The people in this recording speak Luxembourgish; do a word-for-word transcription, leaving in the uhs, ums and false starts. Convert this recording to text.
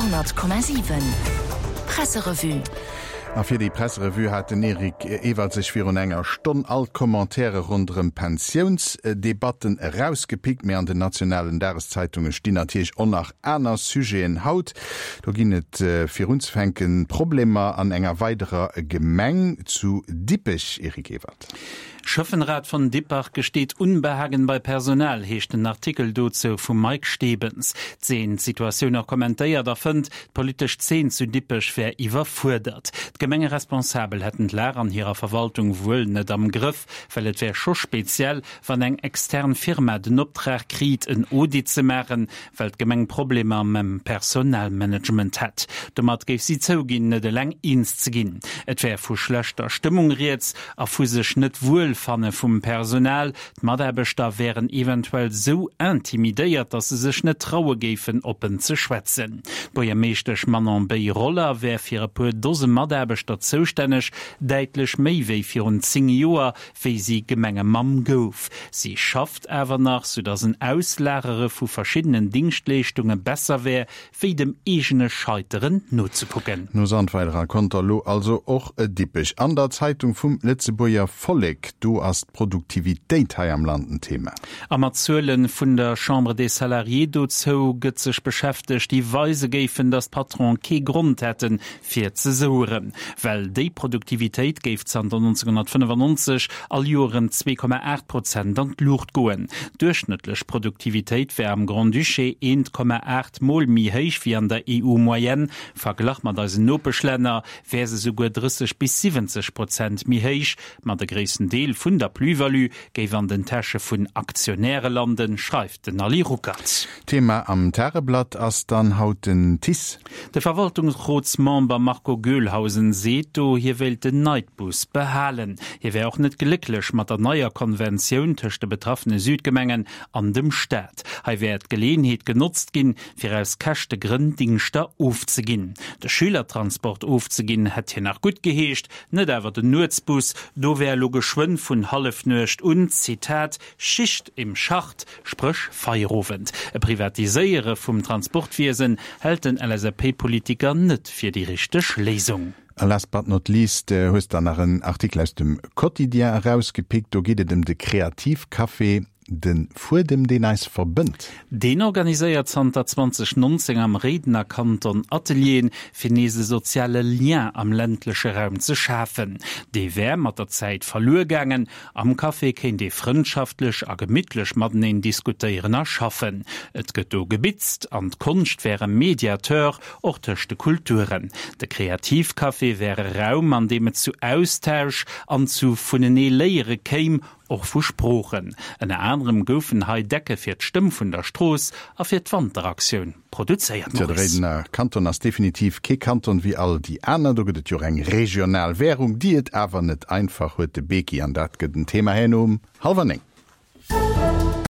Radio honnert Komma siwen Presserevue. A fir déi Presserevue hat den Eric Ewald sech virun enger Stonn all d'Commentairen ronderëm d'Pensiounsdebatten erausgepickt. Mee an den nationalen Dageszeitunge stinn natierlech och nach aner Sujeten haut. Do ginn et virunzefänken Problemer an enger weiderer Gemeng zu Dippech, Eric Ewald. Schäffenrat von Dippach gesteht Unbehagen bei Personal, heescht den Artikel dozou vum Mike Stebens. D'Zeen d'Situatioun och kommentéiert a fënnt, d'politesch Zeen zu Dippech wär iwwerfuerdert. D'Gemengeresponsabel hätten d'Lag an hirer Verwaltung wuel net am Grëff, well et wär scho speziell, wann eng extern Firma den Optrag kritt, en Audit ze maachen, well d'Gemeng Problemer mam Personalmanagement hätt. Domat géif si zouginn, net eleng eens ze ginn. Et wär vu schlechter Stëmmung rieds a vu sech net wuel fanne vum Personal. D'Mataarbechter wären eventuell sou intimidéiert, datt se sech net traue géifen, oppen ze schwätzen. D'Buergermeeschtesch Manon Bei-Roller wär fir e puer Dose Mataarbechter zoustänneg, däitlech méi wéi virun zéng Joer, wéi si Gemengemamm gouf. Si schafft awer nach, soudatt en Auslagere vu verschiddenen Dingschtleeschtunge besser wär, wéi dem eegene Scheiteren nozekucken. No Sandweiler a Conter elo also och Dippech. An der Zeitung vum Lëtzebuerger Vollek, do ass d'Produktivitéit hei am Land en Thema. A mat Zuele vun der Chambre des Salariés dozou gëtt sech beschäftegt, déi weise géifen, datt d'Patronen kee Grond hätten, fir ze soueren. Well déi Produktivitéit géif zanter nonzénghonnertfënnefannonzeg all Joer ëm zwee Komma aacht Prozent an d'Luucht goen. D'duerchschnëttlech Produktivitéit wär am Grand-Duché eent Komma aacht Mol méi héich wéi an der E U-Moyenne. Verglach mat eisen Nopeschlänner wär se souguer drësseg bis siwwenzeg Prozent méi héich. Ma de gréissten Deel vun der Plus-value géif an den Täsche vun Aktionäre landen, schreift den Ali Ruckert. Thema am Tageblatt ass dann haut den T I C E. De Verwaltungsrotsmember Marco Goelhausen seet do, hie wéilt den Nightbus behalen. Hie wär och net glécklech mat der neier Konventioun tëscht de betraffene Südgemengen an dem Staat. Hei wär d'Geleeënheet genotzt ginn, fir aus Käschtegrënn Dingschter ofzeginn. De Schülertransport ofzeginn, hätt hien nach guttgeheescht, net awer den Nuetsbus. Do wär elo geschwënn vun Hallefnuecht un, Zitat, Schicht im Schacht, spréch Feierowend. E Privatiséiere vum Transportwiesen hält den L S A P-Politiker net fir déi richteg Léisung. A last but not least hues der nach en Artikel aus dem Quotidien erausgepickt. Do geet et ëm de Kreativcafé, De Fuedem, deen eis verbënnt. Deen organiséiert zanter zweedausendnonzéng am Réidener Kanton Atelieren, fir nees e soziale Lien am ländleche Raum ze schafen. Dee wär mat der Zäit verluer gaangen. Am Café kéint ee frëndschaftlech a gemittlech mateneen diskutéieren a schaffen. Et gëtt do gebitzt an d'Konscht wär e Mediateur, och tëscht de Kulturen. De Kreativcafé wär e Raum, an deem et zu Austausch an zu vunenee léiere kéim, och vu Sproochen. Ënner anerem goufen hei Decke fir d'Stëmm vun der Strooss a fir d'Wanteraktioun produzéiert. Tjo, de Réidener Kanton ass definitiv kee Kanton wéi all déi aner. Do gëtt et jo och eng regional Währung, déi et awer net einfach huet, de Beki, an dat gëtt en Thema herno um hallwer néng.